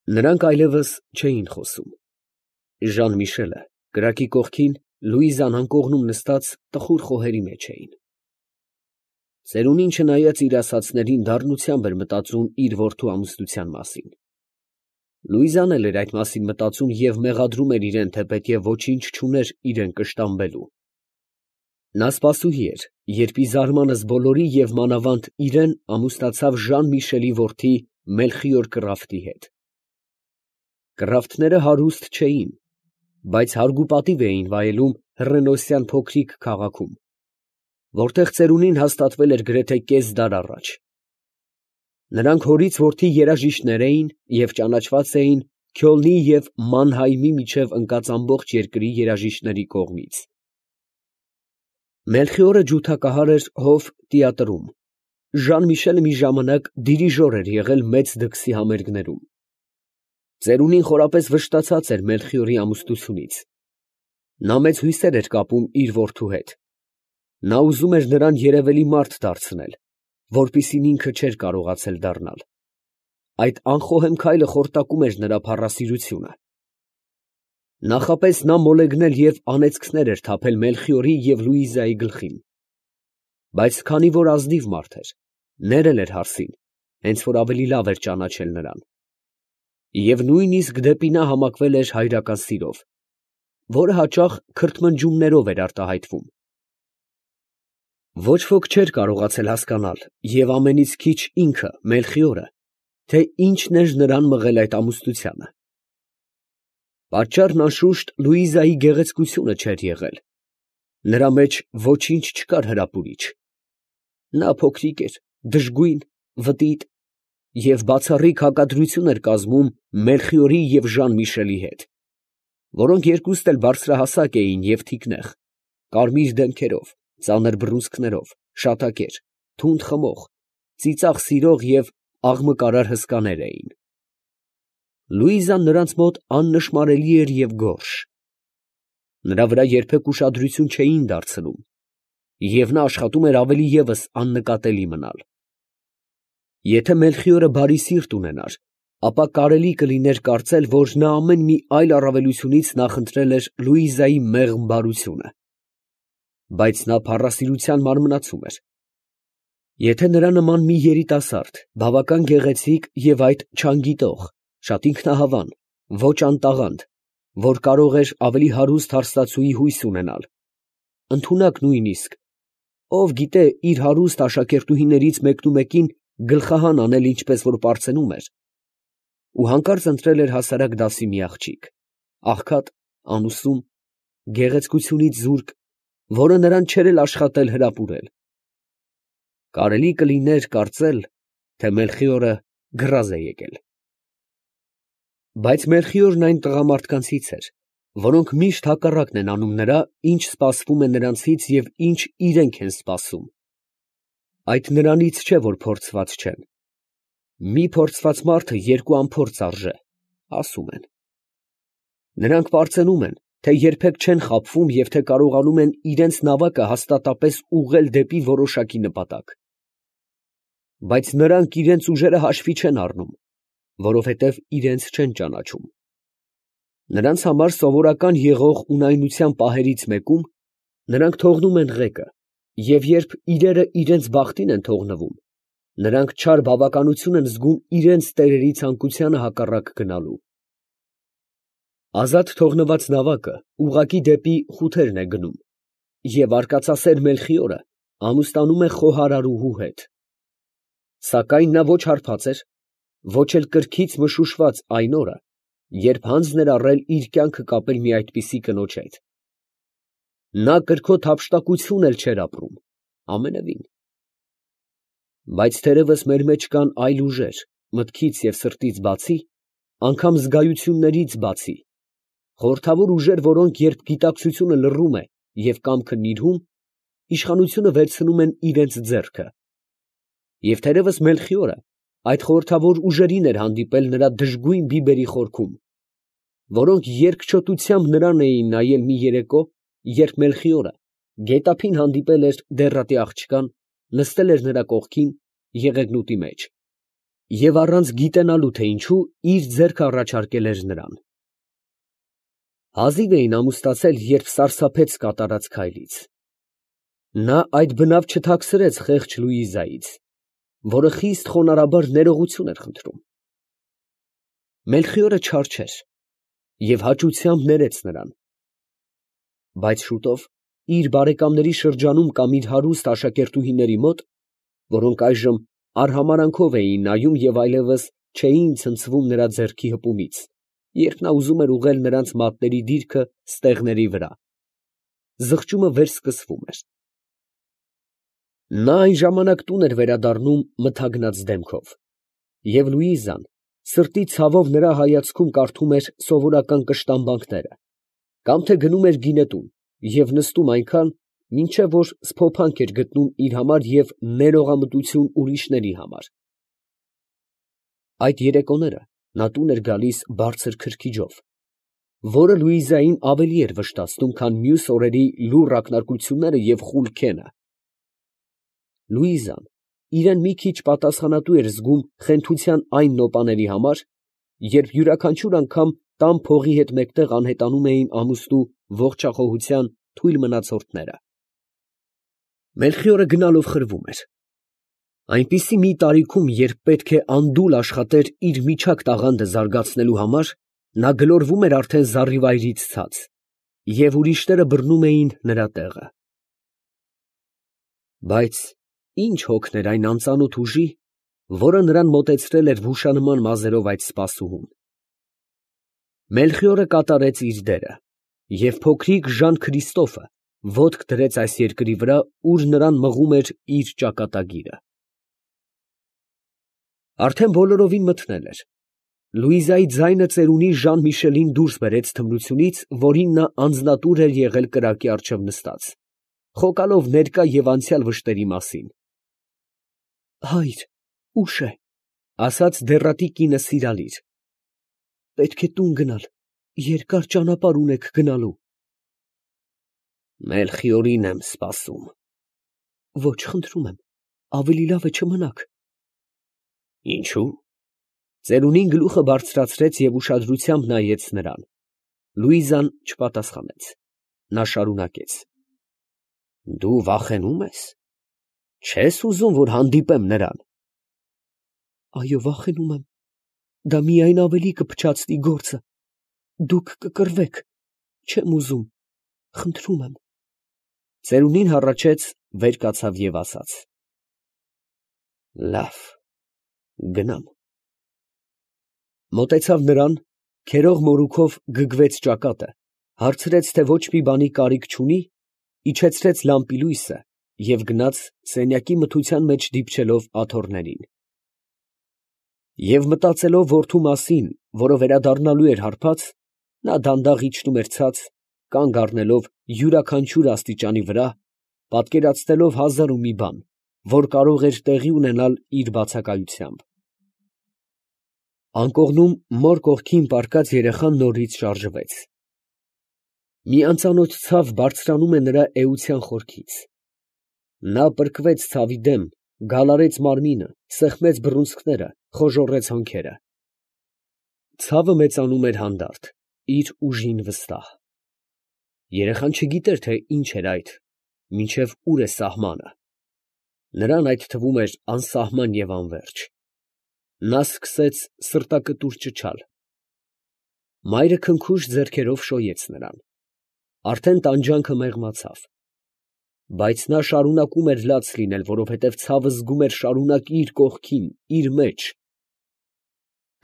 Նրանք այլևս չէին խոսում։ Ժան֊Միշելը կրակի կողքին, Լուիզան անկողնում նստած տխուր խոհերի մեջ էին։ Ծերունին չնայած իր ասածներին դառնությամբ էր մտածում իր որդու ամուսնության մասին։ Լուիզան էլ էր այդ մասին մտածում և մեղադրում էր իրեն, թեպետև ոչինչ չուներ իրեն կշտամբելու։ Նա սպասուհի էր, երբ ի զարմանս բոլորի և մանավանդ իրեն ամուսնացավ Ժան֊Միշելի որդի Մելխիոր Կռավտի հետ։ Կռավտները հարուստ չէին, բայց հարգուպատիվ էին վայելում հռենոսյան փոքրիկ քաղաքում, որտեղ ծերունին հաստատվել էր գրեթե կես դար առաջ։ Նրանք հորից որդի երաժիշտներ էին և ճանաչված էին Քյոլնի և Մանհայմի միջև ընկած ամբողջ երկրի երաժիշտների կողմից։ Մելխիորը ջութակահար էր հով տիատրում, Ժան֊Միշելը մի ժամանակ դիրիժոր էր եղել մեծ դքսի համերգներում։ Ծերունին խորապես վշտացած էր Մելխիորի ամուսնությունից։ Նա մեծ հույսեր էր կապում իր որդու հետ։ Նա ուզում էր նրան երևելի մարդ դարձնել, որպիսին ինքը չէր կարողացել դառնալ։ Այդ անխոհեմ քայլը խորտակում էր նրա փառասիրությունը։ Նախապես նա մոլեգնել և անեծքներ էր թափել Մելխիորի և Լուիզայի գլխին։ Բայց քանի որ ազնիվ մարդ էր, ներել էր հարսին, հենց որ ավելի լավ էր ճանաչել նրան։ Եվ նույնիսկ դեպի նա համակվել էր հայրական սիրով, որը հաճախ քրթմնջյուններով էր արտահայտվում։ Ոչ ոք չէր կարողացել հասկանալ, և ամենից քիչ ինքը, Մելխիորը, թե ինչն էր նրան մղել այդ ամուսնությանը։ Պատճառն անշուշտ Լուիզայի գեղեցկությունը չէր եղել. նրա մեջ ոչինչ չկար հրապուրիչ։ Նա փոքրիկ էր, դժգույն, վտիտ և բացառիկ հակադրություն էր կազմում Մելխիորի և Ժան֊Միշելի հետ, որոնք երկուստ էլ բարձրահասակ էին և թիկնեղ, կարմիր դեմքերով, ծանր բռունցքներով, շատակեր, թունդ խմող, ծիծաղ սիրող և աղմկարար հսկաներ էին։ Լուիզան նրանց մոտ աննշմարելի էր և գորշ։ Նրա վրա երբեք ուշադրություն չէին դարձնում, և նա աշխատում էր ավելի ևս աննկատելի մնալ։ Եթե Մելխիորը բարի սիրտ ունենար, ապա կարելի կլիներ կարծել, որ նա ամեն մի այլ առավելությունից նախընտրել էր Լուիզայի մեղմ բարությունը։ Բայց նա փառասիրության մարմնացում էր։ Եթե նրա նման մի երիտասարդ, բավական գեղեցիկ և այդ չանգիտող, շատ ինքնահավան, ոչ անտաղանդ, որ կարող էր ավելի հարուստ հարստացուի հույս ունենալ, ընդունակ նույնիսկ, ով գիտե իր հարուստ աշակերտուհիներից մեկնումեկին գլխահան անել, ինչպես որ պարծենում էր, ու հանկարծ ընտրել էր հասարակ դասի մի աղջիկ, աղքատ, անուսում, գեղեցկությունից զուրկ, որը նրան չէր էլ աշխատել հրապուրել, կարելի կլիներ կարծել, թե Մելխիորը գրազ է եկել։ Բայց Մելխիորն այն տղամարդկանցից էր, որոնք միշտ հակառակն են անում նրա, ինչ սպասվում է նրանցից և ինչ իրենք են սպասում։ Այդ նրանից չէ, որ փորձված չեն։ Մի փորձված մարդը երկու անփորձ արժե, ասում են։ Նրանք պարծենում են, թե երբեք չեն խաբվում և թե կարողանում են իրենց նավակը հաստատապես ուղղել դեպի որոշակի նպատակ։ Բայց նրանք իրենց ուժերը հաշվի չեն առնում, որովհետև իրենց չեն ճանաչում։ Նրանց համար սովորական եղող ունայնության պահերից մեկում նրանք թողնում են ղեկը, և երբ իրերը իրենց բախտին են թողնվում, նրանք չար բավականություն են զգում իրենց տերերի ցանկությանը հակառակ գնալու։ Ազատ թողնված նավակը ուղղակի դեպի խութերն է գնում, և արկածասեր Մելխիորը ամուսնանում է խոհարարուհու հետ։ Սակայն նա ոչ հարբած էր, ոչ էլ կրքից մշուշված այն օրը, երբ հանձն էր առել իր կյանքը կապել մի այդպիսի կնոջ հետ։ Նա կրքոտ հափշտակություն էլ չէր ապրում, ամենևին։ Բայց թերևս մեր մեջ կան այլ ուժեր, մտքից և սրտից բացի, անգամ զգայություններից բացի, խորհրդավոր ուժեր, որոնք երբ գիտակցությունը լռում է և կամքը նիրհում, իշխանությունը վերցնում են իրենց ձեռքը։ Եվ թերևս Մելխիորը այդ խորհրդավոր ուժերին էր հանդիպել նրա դժգույն բիբերի խորքում, որոնք երկչոտությամբ նրան էին նայել մի երեկո, երբ Մելխիորը գետափին հանդիպել էր դեռատի աղջկան, նստել էր նրա կողքին եղեգնուտի մեջ և առանց գիտենալու, թե ինչու, իր ձեռքը առաջարկել էր նրան։ Հազիվ էին ամուսնացել, երբ սարսափեց կատարած քայլից։ Նա այդ բնավ չթաքցրեց խեղճ Լուիզայից, որը խիստ խոնարհաբար ներողություն էր խնդրում։ Մելխիորը չար չէր և հաճությամբ ներեց նրան։ Բայց շուտով իր բարեկամների շրջանում կամ իր հարուստ աշակերտուհիների մոտ, որոնք այժմ արհամարանքով էին նայում և այլևս չէին ցնցվում նրա ձեռքի հպումից, երբ նա ուզում էր ուղղել նրանց մատների դիրքը ստեղների վրա, զղջումը վերսկսվում էր։ Նա այն ժամանակ տուն էր վերադառնում մթագնած դեմքով, և Լուիզան սրտի ցավով նրա հայացքում կարդում էր սովորական կշտամբանքները, կամ թե գնում էր գինետուն և նստում այնքան, մինչև որ սփոփանք էր գտնում իր համար և ներողամտություն ուրիշների համար։ Այդ երեկոները նա տուն էր գալիս բարձր քրքիջով, որը Լուիզային ավելի էր վշտացնում, քան մյուս օրերի լուռ ակնարկությունները և խուլ քենը։ Լուիզան իրան մի քիչ պատասխանատու էր զգում խենթության այն նոպաների համար, երբ յուրաքանչյուր անգամ տան փողի հետ մեկտեղ անհետանում էին ամուսնու ողջախոհության թույլ մնացորդները։ Մելխիորը գնալով խրվում էր։ Այնպիսի մի տարիքում, երբ պետք է անդուլ աշխատեր իր միջակ տաղանդը զարգացնելու համար, նա գլորվում էր արդեն զառիվայրից ցած, և ուրիշները բռնում էին նրա տեղը։ Բայց ի՞նչ հոգներ այն անծանոթ ուժի, որը նրան մոտեցրել էր վուշանման մազերով այդ սպասուհուն։ Մելխիորը կատարեց իր դերը, և փոքրիկ Ժան Քրիստոֆը ոտք դրեց այս երկրի վրա, ուր նրան մղում էր իր ճակատագիրը։ Արդեն բոլորովին մթնել էր։ Լուիզայի ձայնը ծերունի Ժան Միշելին դուրս բերեց թմրությունից, որին նա անձնատուր էր եղել կրակի առջև նստած, խոկալով ներկա և անցյալ վշտերի մասին։ ֊ Հայր, ուշ է, ֊ ասաց դեռատի կինը սիրալիր. պետք է տուն գնալ, երկար ճանապարհ ունեք գնալու։ ֊ Մելխիորին եմ սպասում։ ֊ Ոչ, խնդրում եմ, ավելի լավ է չմնաք։ ֊ Ինչո՞ւ։ Ծերունին գլուխը բարձրացրեց և ուշադրությամբ նայեց նրան։ Լուիզան չպատասխանեց։ Նա շարունակեց. ֊ Դու վախենու՞մ ես։ Չե՞ս ուզում, որ հանդիպեմ նրան։ ֊ Այո, վախենում եմ. դա միայն ավելի կփչացնի գործը, դուք կկռվեք, չեմ ուզում, խնդրում եմ։ Ծերունին հառաչեց, վեր կացավ և ասաց. Լավ, գնամ։ Մոտեցավ նրան, քերող մորուքով գգվեց ճակատը, հարցրեց, թե ոչ մի բանի կարիք չունի, իջեցրեց լամպի լույսը և գնաց սենյակի մթության մեջ դիպչելով աթոռներին։ Եվ մտածելով որդու մասին, որը վերադառնալու էր հարբած, նա դանդաղ իջնում էր ցած, կանգ առնելով յուրաքանչյուր աստիճանի վրա, պատկերացնելով հազար ու մի բան, որ կարող էր տեղի ունենալ իր բացակայությամբ։ Անկողնում մոր կողքին պառկած երեխան նորից շարժվեց։ Մի անծանոթ ցավ բարձրանում է նրա էության խորքից։ Նա պրկվեց ցավի դեմ, գալարեց մարմինը, սեղմեց բռունցքները, խոժոռեց հոնքերը։ Ցավը մեծանում էր հանդարտ, իր ուժին վստահ։ Երեխան չգիտեր, թե ինչ էր այդ, մինչև ուր է սահմանը։ Նրան այդ թվում էր անսահման և անվերջ։ Նա սկսեց սրտակտուր ճչալ։ Մայրը քնքուշ ձեռքերով շոյեց նրան։ Արդեն տանջանքը մեղմացավ։ Բայց նա շարունակում էր լաց լինել, որովհետև ցավը զգում էր շարունակ իր կողքին, իր մեջ։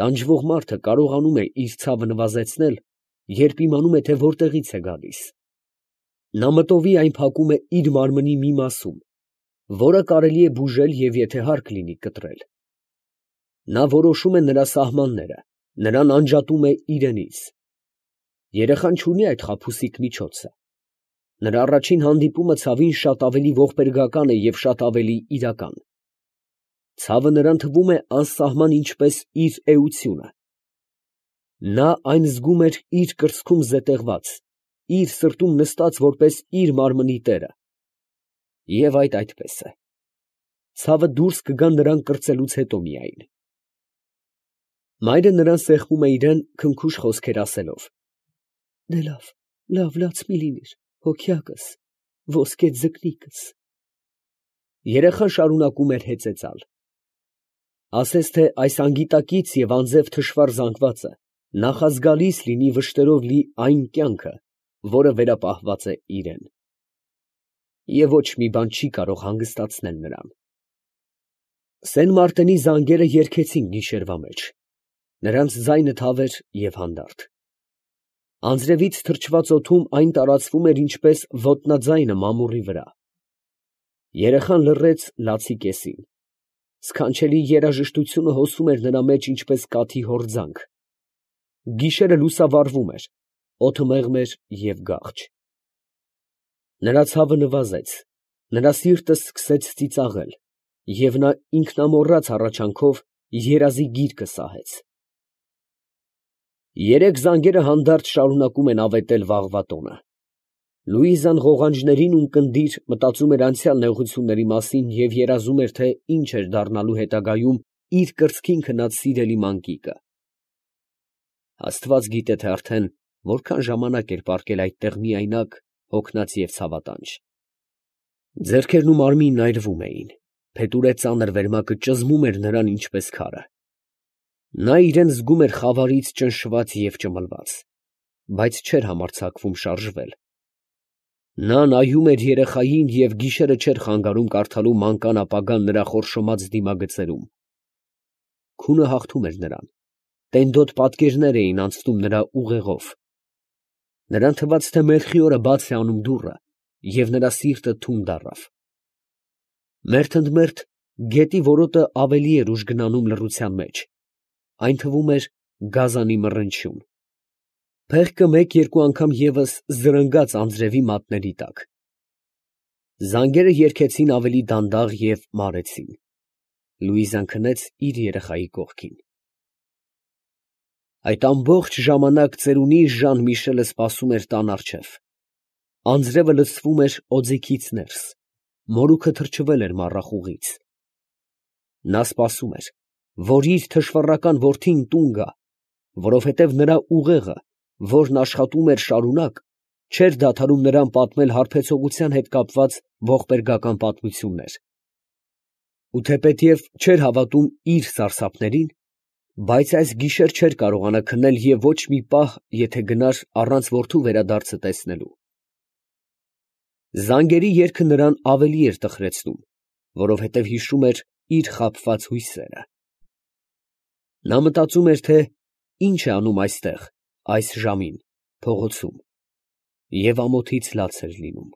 Տանջվող մարդը կարողանում է իր ցավը նվազեցնել, երբ իմանում է, թե որտեղից է գալիս։ Նա մտովի այն փակում է իր մարմնի մի մասում, որը կարելի է բուժել և եթե հարկ լինի կտրել։ Նա որոշում է նրա սահմանները, նրան անջատում է իրենից։ Երեխան չունի այդ խաբուսիկ միջոցը։ Նրա առաջին հանդիպումը ցավին շատ ավելի ողբերգական է և շատ ավելի իրական։ Ցավը նրան թվում է անսահման ինչպես իր էությունը։ Նա այն զգում էր իր կրծքում զետեղված, իր սրտում նստած որպես իր մարմնի տերը։ Եվ այդ այդպես է։ Ցավը դուրս կգա նրան կրծելուց հետո միայն։ Մայրը նրան սեղմում է իրան քնքուշ խոսքեր ասելով. «Դե լավ լաց մի լինիր, հոգյակս, ոսկե ձկնիկս»։ Երեխան շարունակում էր հեծեծալ. ասես թե այս անգիտակից և անձև թշվառ զանգվածը նախազգալիս լինի վշտերով լի այն կյանքը, որը վերապահված է իրան։ Եվ ոչ մի բան չի կարող հանգստացնել նրան։ Սեն Մարտենի զանգերը երգեցին գիշերվա մեջ, նրանց ձայնը թավ էր և հանդարտ։ Անձրևից թրջված օդում այն տարածվում էր ինչպես ոտնաձայնը մամուռի վրա։ Երեխան լռեց լացի կեսին, սքանչելի երաժշտությունը հոսում էր նրա մեջ ինչպես կաթի հորձանք։ Գիշերը լուսավառվում էր, օդը մեղմ էր և գաղջ։ Նրա ցավը նվազեց, նրա սիրտը սկսեց ծիծաղել, և նա ինքնամոռաց հառաչանքով երազի գիրկը սահեց։ Երեք զանգերը հանդարտ շարունակում են ավետել վաղվա տոնը։ Լուիզան ղողանջներին ունկնդիր մտածում էր անցյալ նեղությունների մասին և երազում էր, թե ինչ էր դառնալու հետագայում իր կրծքին քնած սիրելի մանկիկը։ Աստված գիտե, թե արդեն որքան ժամանակ էր պառկել այդտեղ միայնակ, հոգնած և ցավատանջ։ Ձեռքերն ու մարմինն այրվում էին, փետուրե ծանր վերմակը ճզմում էր նրան ինչպես քարը։ Նա իրան զգում էր խավարից ճնշված և ճմլված, բայց չէր համարձակվում շարժվել։ Նա նայում էր երեխային և գիշերը չէր խանգարում կարդալու մանկան ապագան նրա խորշոմած դիմագծերում։ Քունը հաղթում էր նրան, տենդոտ պատկերներ էին անցնում նրա ուղեղով։ Նրան թվաց, թե Մելխիորը բաց է անում դուռը, և նրա սիրտը թուն դառավ։ Մերթ ընդ մերթ գետի որոտը ավելի էր ուժ գնանում լռության մեջ, այն թվում էր գազանի մռնչյուն։ Փեղկը մեկ֊երկու անգամ ևս զրնգաց անձրևի մատների տակ։ Զանգերը երգեցին ավելի դանդաղ և մարեցին։ Լուիզան քնեց իր երեխայի կողքին։ Այդ ամբողջ ժամանակ ծերունի Ժան Միշելը սպասում էր տան առջև։ Անձրևը լցվում էր օձիքից ներս, մորուքը թրջվել էր մառախուղից։ Նա սպասում էր, որ իր թշվառական որդին տուն գա, որովհետև նրա ուղեղը, որն աշխատում էր շարունակ, չէր դադարում նրան պատմել հարբեցողության հետ կապված ողբերգական պատմություններ։ Ու թեպետև չէր հավատում իր սարսափներին, բայց այս գիշեր չէր կարողանա քնել և ոչ մի պահ, եթե գնար առանց որդու վերադարձը տեսնելու։ Զանգերի երգը նրան ավելի էր տխրեցնում, որովհետև հիշում էր իր խաբված հույսերը։ Նա մտածում էր, թե ինչ է անում այստեղ, այս ժամին, փողոցում, և ամոթից լաց էր լինում։